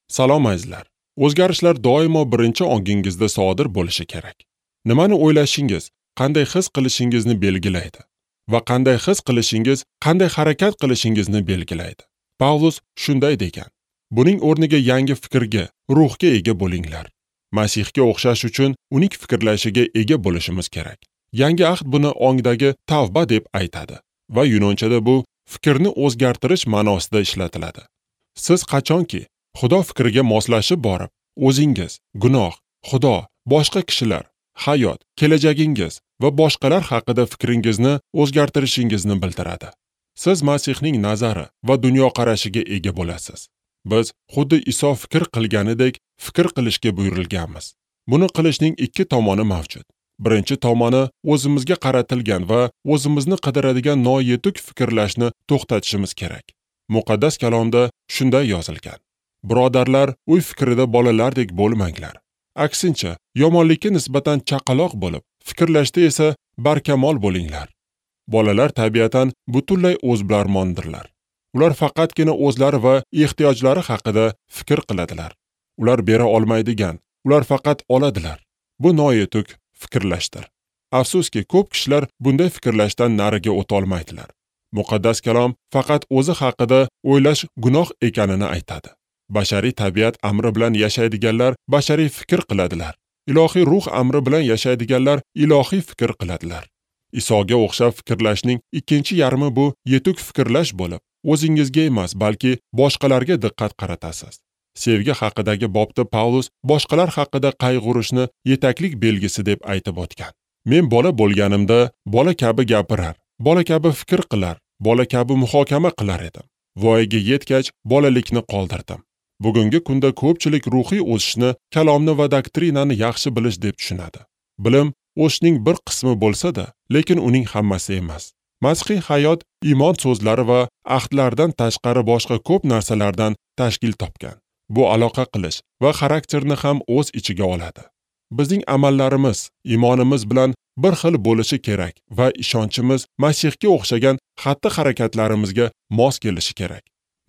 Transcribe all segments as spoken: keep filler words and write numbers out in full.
Salom azizlar. O'zgarishlar doimo birinchi ongingizda sodir bo'lishi kerak. Nimani o'ylashingiz, qanday his qilishingizni belgilaydi va qanday his qilishingiz, qanday harakat qilishingizni belgilaydi. Pavlus shunday degan: buning o'rniga yangi fikrga, ruhga ega bo'linglar. Masihga o'xshash uchun uning fikrlashiga ega bo'lishimiz kerak. Yangi ahd buni ongdagi tavba deb aytadi va yunonchada bu fikrni o'zgartirish ma'nosida ishlatiladi. Siz qachonki Xudo fikriga moslashib borib, o'zingiz, gunoh, Xudo, boshqa kishilar, hayot, kelajagingiz va boshqalar haqida fikringizni o'zgartirishingizni bildiradi. Siz Masihning nazari va dunyoqarashiga ega bo'lasiz. Biz xuddi Iso fikr qilganidek fikr qilishga buyurilganmiz. Buni qilishning ikki tomoni mavjud. Birinchi tomoni o'zimizga qaratilgan va o'zimizni qidiradigan noyetuk fikrlashni to'xtatishimiz kerak. Muqaddas kalomda shunday yozilgan: birodarlar, uy fikrida bolalardek bo'lmanglar. Aksincha, yomonlikka nisbatan chaqaloq bo'lib, fikrlashda esa barkamol bo'linglar. Bolalar tabiatan butunlay o'zbilarmondirlar. Ular faqatgina o'zlari va ehtiyojlari haqida fikr qiladilar. Ular bera olmaydigan, ular faqat oladilar. Bu noyetuk fikrlashdir. Afsuski, ko'p kishilar bunday fikrlashdan nariga o'ta olmaydilar. Muqaddas kalom faqat o'zi haqida o'ylash gunoh ekanini aytadi. Bashariy tabiat amri bilan yashaydiganlar bashariy fikr qiladilar. Ilohiy ruh amri bilan yashaydiganlar ilohiy fikr qiladilar. Isoga o'xshab fikrlashning ikkinchi yarmi bu yetuk fikrlash bo'lib, o'zingizga emas, balki boshqalarga diqqat qaratasiz. Sevgi haqidagi bobda Pavlus boshqalar haqida qayg'urishni yetaklik belgisi deb aytib o'tgan. Men bola bo'lganimda bola kabi gapirar, bola kabi fikr qilar, bola kabi muhokama qilar edim. Voyaga yetgach bolalikni qoldirdim. Bugungi kunda ko'pchilik ruhiy o'sishni, kalomni va doktrinani yaxshi bilish deb tushunadi. Bilim o'sishning bir qismi bo'lsa-da, lekin uning hammasi emas. Masihiy hayot iymon so'zlari va ahdlardan tashqari boshqa ko'p narsalardan tashkil topgan. Bu aloqa qilish va xarakterni ham o'z ichiga oladi. Bizning amallarimiz iymonimiz bilan bir xil bo'lishi kerak va ishonchimiz Masihga o'xshagan xatti-harakatlarimizga mos kelishi kerak.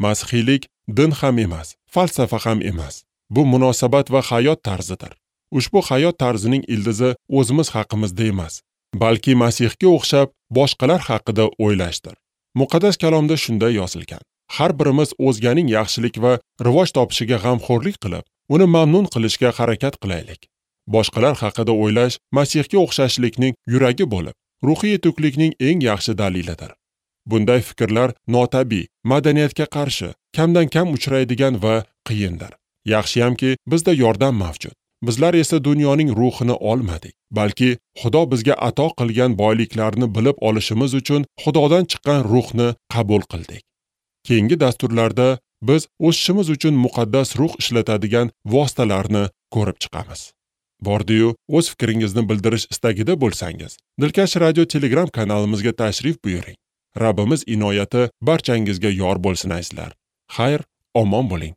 Masihiylik din ham emas, falsafa ham emas. Bu munosabat va hayot tarzidir. Ushbu hayot tarzining ildizi o'zimiz haqimizda emas, balki Masihga o'xshab boshqalar haqida o'ylashdir. Muqaddas kalomda shunday yozilgan: har birimiz o'zganing yaxshilik va rivoj topishiga g'amxo'rlik qilib, uni mamnun qilishga harakat qilaylik. Boshqalar haqida o'ylash Masihga o'xshashlikning yuragi bo'lib, ruhiy yetuklikning eng yaxshi dalilidir. Bunday fikrlar notabiiy, madaniyatga qarshi, kamdan kam uchraydigan va qiyindir. Yaxshiyamki, bizda yordam mavjud. Bizlar esa dunyoning ruhini olmadik, balki Xudo bizga ato qilgan boyliklarni bilib olishimiz uchun Xudodan chiqqan ruhni qabul qildik. Keyingi dasturlarda biz o'sishimiz uchun muqaddas ruh ishlatadigan vositalarni ko'rib chiqamiz. Bordiyu o'z fikringizni bildirish istagida bo'lsangiz, Dilkash Radio Telegram kanalimizga tashrif buyuring. Rabbimiz inoyati barchangizga yor bo'lsin azizlar. Xayr, omon bo'ling.